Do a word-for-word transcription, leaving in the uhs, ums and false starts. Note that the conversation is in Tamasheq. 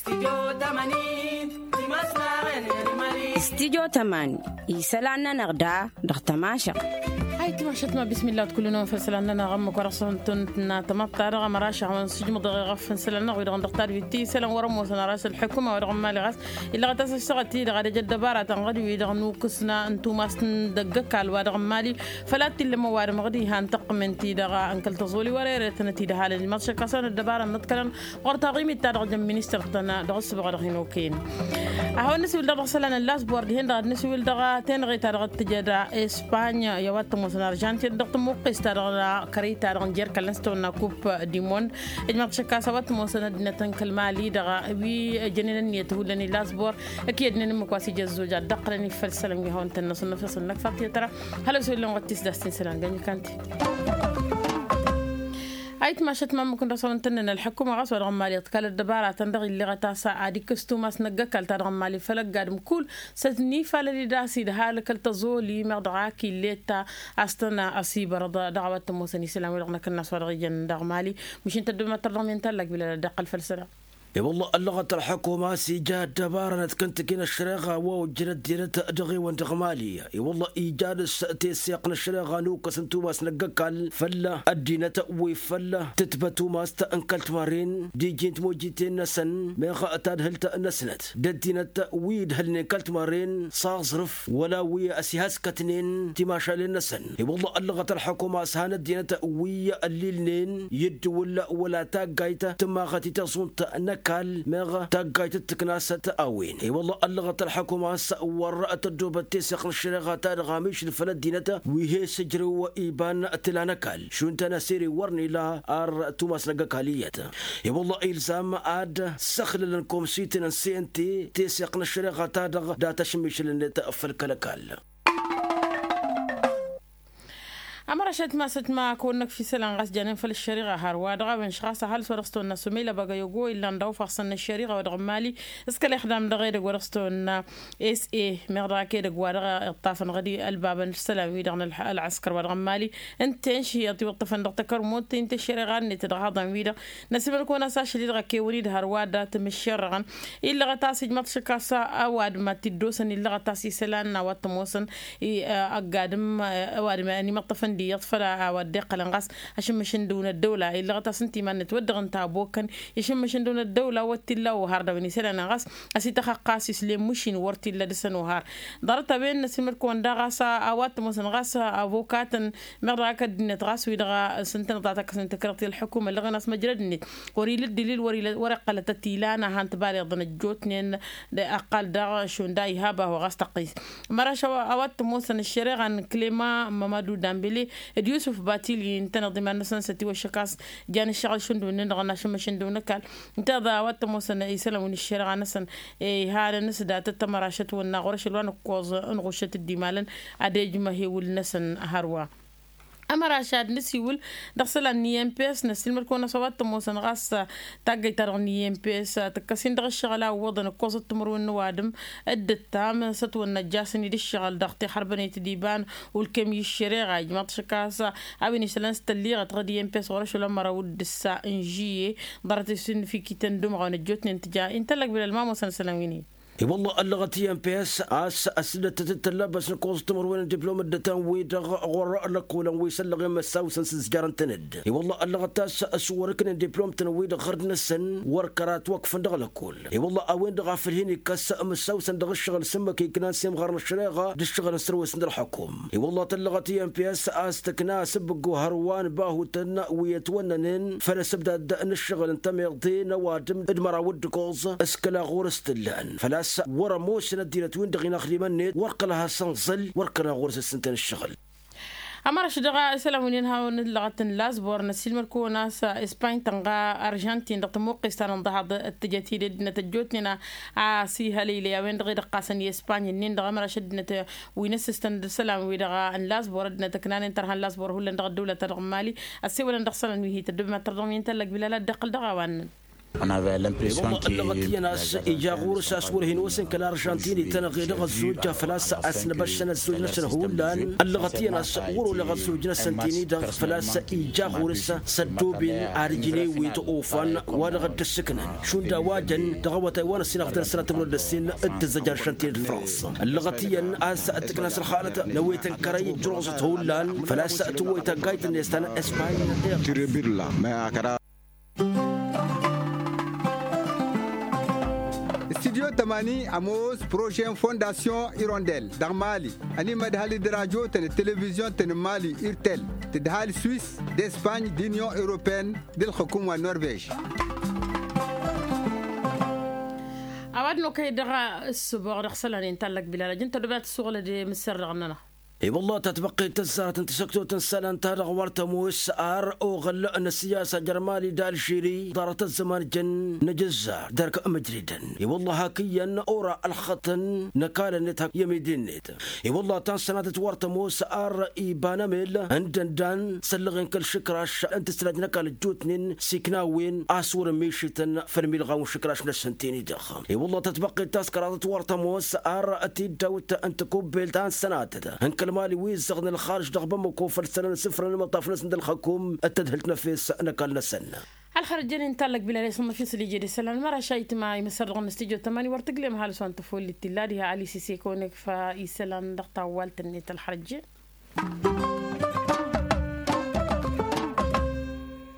Stidyo tămani isălan-nănăɣ da dăɣ-tămašăɣt. Ay timašăt ma bismillah wa t-kull-năwăn făll-isălan-nănăɣ ămmăk wa dăɣ-săn tămăḍt-ta-dăɣ ămăraš a hawăn-sǝjmǝḍ dăɣ-eɣăf n-isălan-nănăɣ wi-dăɣ n-dăɣ tadwit ti isălan wăr-ămoosăn ăraš ălḥukuma wa dăɣ-n mali ɣas illa ɣăt a-s ăššăɣăt-i-dăɣ ad-ăj ăddăbaratăn ɣăd wi-dăɣ n-ukǝsna n-tumast n-dăgg-ăkall wa dăɣ-n mali făl ad-t-illa ămăwadǝm ɣǝd ihan tăqqǝmen-ti-dăɣ n-kăl-tăẓoli wăr-ere-tănăt-i d-ăhalăn ilmăḍšăk a-s a-wen ăddăbara n-inăḍkălăn ɣur-taɣimit-ta-dăɣ jăn-ministăr-tăn dăɣ-ǝssǝbăɣ dăɣ-hin-okăyăn. A hawăn-nǝsiwǝl dăɣ-dăɣ isălan n-lasbor dihen-dăɣ ad-nǝsiwǝl dăɣ-tenăɣe-ta-dăɣ d-tǝjăd espany i-a-wa t-ămoosăn arjantin dăɣ-tămuqqes-ta-dăɣ kărăy-ta-dăɣ n-jer-kăl-năs tăwănna kup dimond. Ijmaḍ šăkk a-s a-wa t-ămoosăn ăddinăt n-kăl-mali-dăɣ wi ăjănen ǝnniyăt hullan i-lasbor ǝkǝyădnen ǝmmǝk wa s-ija ăzzoj ad-dd-ăqqǝlăn i-făll-isălan wi hawăn-tăn-năsăn năfeṣăn năkfăt i-tăra. Hălăw s-wăllen wăt tisdast-in isălan gănjǝkan-ti. Ayǝtmašăt ma ǝmmǝk n-dăɣ-s a-wen tănnăn ălḥăkkuma ɣas wa dăɣ-n mali ăḍkal ăddăbaratăn dăɣ-illeɣăt a-s ad-ikkǝs tumas n-ăgg-ăkall ta dăɣ-n mali făll-ăgg-adǝm kull s-ătnifalăd-dd a-s idhal kăl-tăẓoli meɣ dăɣ-ak illet-ta a-s tăn-ăsibărăḍ dăɣ-a-wa t-ămoosăn isălan wi-dăɣ n-akǝnnas wa dăɣ-ijăn dăɣ-mali. Măšin tăddobem ad-tărḍăɣ mi n-tallag bilal ad-dd-iqqăl făll-isălan. I-wălla ăllăɣăt ălḥukuma a-s ija ăddăbara n-ad-kăntăken ăššăreɣa wa ojjăn ăddinăt dăɣ-ewăn dăɣ-mali. I-wălla ija dăɣ-s teseɣt n-ăššăreɣa n-okăs n-tumas n-ăgg-ăkall făll-ăddinăt wi făll-tǝtbăt tumast n-kăl-timarren d-iji n-timojjiten-năsăn meɣ tadhǝlt-năsnăt d-ăddinăt wi ǝdhǝlnen kăl-timarren s-aẓrǝf wăla wi ăsihaskătnen timašalen-năsăn. I-wălla ăllăɣăt ălḥukuma a-s han ăddinăt wi ăllilnen i-ǝddǝwǝl wăla taggayt tǝmmaɣăt i-taẓunt n-ăkall meɣ taggayt d-tǝknasăt a-wen. I-wălla ăllăɣăt ălḥukuma a-s wăr tăddobăt teseɣt n-ăššăreɣa-ta-dăɣ amišǝl făll-ăddinăt wi he-s ǝjrǝw iba n-tǝla n-ăkall šund tanăsere wăr n-ila ar tumas n-ăgg-ăkall iyyăt. I-wălla ilzam ad-săxlălăn komsiten n-sente teseɣt n-ăššăreɣa-ta-dăɣ dat-ašǝmmišǝl-net făll-kăl-ăkall. Ămărašăt ma s-ătma kăwăn-năkf isălan ɣas janen făll-ăššăriɣa hărwa dăɣ-a-wen š-ɣas ăhalǝs wa dăɣ-s tăwănna sumeyla băgăyogo illan dăɣ-ufaɣsăn n-ăššăriɣa wa dăɣ-mali s-kăl-ixdam dăɣ-edăgg wa dăɣ-s tăwănna s-e meɣ dăɣ-ak edăgg wa dăɣ-iṭṭafăn ɣădi ălbabăn isălan-wi-dăɣ n-ălɣăskăr wa dăɣ-mali ǝnta i-inšǝyyăḍ iwǝṭṭăfăn dăɣ-takărmut i n-tăššăreɣa-net dăɣ-haḍăn-wi-dăɣ n-asǝmǝl kăwăn-as ašăl-i-dăɣ a kewăn-dd hărwa dat-imǝššerrăɣăn illăɣăt a-s ijmăḍ šăkk a-s ăwadǝm ad-t-dd-osăn illăɣăt a-s isălan n-a-wa t-ămoosăn ăgg-adǝm ăwadǝm ănimăṭṭăfăn d-iyyăḍ făll-a-wa dd-iqqălăn ɣas ašǝmmǝš n-dăw n-ăddăwla illăɣăt a-s ǝnta iman-net wăr dăɣ-ǝnta ăbokăn išǝmmǝš n-dăw n-ăddăwla wăr t-illa ohar dăɣ-wen isălan ɣas ăsităxăqqa a-s islen măšin wăr t-illa dăɣ-săn ohar. Ḍarăt-a-wen n-asǝlmăd-kăwăn daɣ ɣas a-wa t-ămoosăn ɣas ăbokatăn meɣ dăɣ-ak ăddinăt ɣas wi-dăɣ s-ǝntăneḍ a tăkkăsnen tăkrăḍt i-ălḥukuma ăllăɣen a-s măjrăd-net wăr-ila dd-ilil wăr-ila wăr-iqqălăt ătilan a han-tibaleḍăn ăjjootnen. Ăqqal daɣ šund a iha bahu ɣas tăqqis măraš a-wa t-ămoosăn ăššăreɣa n-klema mămădu dambele d-yusǝf batili ǝntăneḍ iman-năsăn s-ătiwăššăk a-s jan ǝššăɣǝl šund wǝnnin-dăɣ n-ašǝmmăšăn dăw n-ăkall ǝnta a-wa t-ămoosăn isălan wi n-ăššăreɣa-năsăn. Ihanăn s-datăt ămărašăt wănna ɣur-ašăl wa n-ǝkkoẓ ǝnɣušăt dd-imalăn ad-ejmăh ewǝl-năsăn hărwa. Ămăraš ad-nǝsiwǝl dăɣ-isălan n-i m p s năssiilmăd-kăwăn-as a-wa t-ămoosăn ɣas taggăyt-ta-dăɣ n-i m p s tǝkkăs-in dăɣ-ǝššăɣǝl a ǝwwăḍăn ǝkkoẓăt timǝrwen n-ăwadǝm d-ǝttam s-ătwănna ăjjaasăn-dd ǝššăɣǝl dăɣ-tixărbănet d-iba n-ulkem i-ǝššăreɣa ijmaḍ šăkk a-s a-wen išlăn s-tălliɣăt ɣǝd i m p s ɣur-ašăl ămăraw d-ǝssa n-žiyye. Ḍarăt-i s-ǝnnǝfikităn d-umɣaw n-ăjjootnen tǝja intăllăg bilăl ma ămoosăn isălan wi n-e. I-wălla ăllăɣăt i m p s a-s ăsdăttăt d-tăllabăs n-ǝkkoẓăt timǝrwen n-diplom ăddătan-wi-dăɣ ɣur-lăkkolăn wi s-ăllăɣen măssaw-săn s-ǝzjarăn-tăn-dd. I-wălla ăllăɣăt a-s s-wăr-ǝknen diplom-tăn-wi-dăɣ ɣărd-năsăn wăr kărat wăkfăn dăɣ-lăkkol. I-wălla a-wen-dăɣ a făl hin-ikkăs măssaw-săn dăɣ-ǝššăɣǝl s-ǝmmǝk iknan s-imɣar n-ăššăreɣa d-ǝššăɣǝl n-sărwes n-ălxukum. I-wălla tăllăɣăt i m p s a-s tǝkna asǝbbǝggu hărwa n-ibahutăn wi ătwănnănen făll-asǝbdad n-ǝššăɣǝl n-tămiḍe n-ăwadǝm d-măraw d-ǝkkoẓ s-kăla ɣur-s t-ǝllan făl-a-s wăr-ămoosăn ăddinăt-win-dăɣ inaxdimăn-net wăr kăla has-ănẓǝl wăr kăla ɣur-s ǝssǝntăn ǝššăɣǝl. Ămărăš dăɣ-isălan wi n-inhawăn ǝllăɣăt n-lasbor năssiilmăd-kăwăn a-s ispany tănɣa arjantin dăɣ-tămuqqes ta n-inḍăhaḍ d-tǝjăt-dd ăddinăt ăjjootnen a-s ihălăylăy a-wen-dăɣ i-dd-ǝqqasăn i-ispany-nin-dăɣ ămărăš ăddinăt wi n-ǝssǝstăn d-isălan-wi-dăɣ n-lasbor ăddinăt ǝknanen tărha n-lasbor hullan dăɣ-ăddăwlăt-ta-dăɣ n-mali ăssewălăn dăɣ-isălan wi hi-tăddobem ad-tărdăɣ mi n-tăllăg bilal ad-dd-iqqăl dăɣ-a-wa ǝnnăn. Ăllăɣăt iyyăn a-s ija ɣur-s a-s wăr hin-osăn kăl-arjantin-i-tăn ɣedăɣ ăzzojja făl-a-s a-s năbăššăn ăzzoj-năsăn hullan. Ăllăɣăt iyyăn a-s wăr-oleɣ ăzzoj-năsăn-tin-i-dăɣ făl-a-s ija ɣur-s s-ăddooben ad-ǝjǝn ewet ofan wa dăɣ-dd-ǝssǝknăn šund a-wa jăn dăɣ-awătay wa n-ăssinăɣ d-ălsănat timǝrwăt d-ăssin d-tǝzzăj arjantin d-frans. Ăllăɣăt iyyăn a-s tǝkna s-ălxalăt n-ewet n-kărăy ǝjjǝroẓăt hullan făl-a-s tǝwwăy taggayt-net ta n-espany. Studyo tămani ămoos prože n-fondasyon irondel dăɣ-mali ănimădhăl d-radyo-tăn d-televizyon-tăn n-mali irtel tǝdhal swis d-espany d-inyon europene d-ǝlxǝkum wa n-norvej. A-wa d-nokăy dăɣ-ǝssǝboɣ dăɣ-isălan-in tallăk bilal ajăn tăddob ad-tǝssuɣǝlăd i-mǝsserdăɣ-nănăɣ. I-wălla tatbăqqet tăzzarăt n-tisăktot n-isălan-ta-dăɣ wăr tămoos ar oɣǝl n-ăssiyasa jer-mali d-alžiri ḍarăt ăzzăman jăn n-ajǝzzar d-erk mǝjridăn. I-wălla hak iyyăn ora ălxăṭṭăn n-ăkall-net hak i-amidi-net. I-wălla ta n-sănatăt wăr tămoos ar iba n-emel n-dăndan s-ăllăɣen kăl-išǝkraš n-tǝsrajt n-ăkall ăjjootnen s-iknawen a-s wăr-ămmišităn făll-milɣaw n-išǝkraš-năsăn tini-dăɣ. I-wălla tatbăqqet ta s-kăraḍăt wăr tămoos ar tiddawt n-tikubbelt ta n-sănatăt n-kăl-mali wi ǝzzăɣnen ălxarǝj dăɣ-bamăko făll-isălan isǝfrăn imăṭṭaf-năsăn d-ălxăkum d-tadhǝlt n-efes n-ăkall-năsăn. Ălxărăjăn-in tallăk bilal i-sănnăf isăl ije d-isălan măraš a itma imǝssăr dăɣ-năstijot tămani wăr tǝglem ăhalǝs wa n-tăfollit tilla diha alisise kăwăn-ikfa isălan dăɣ-tawwalt-net ălxărăjăn.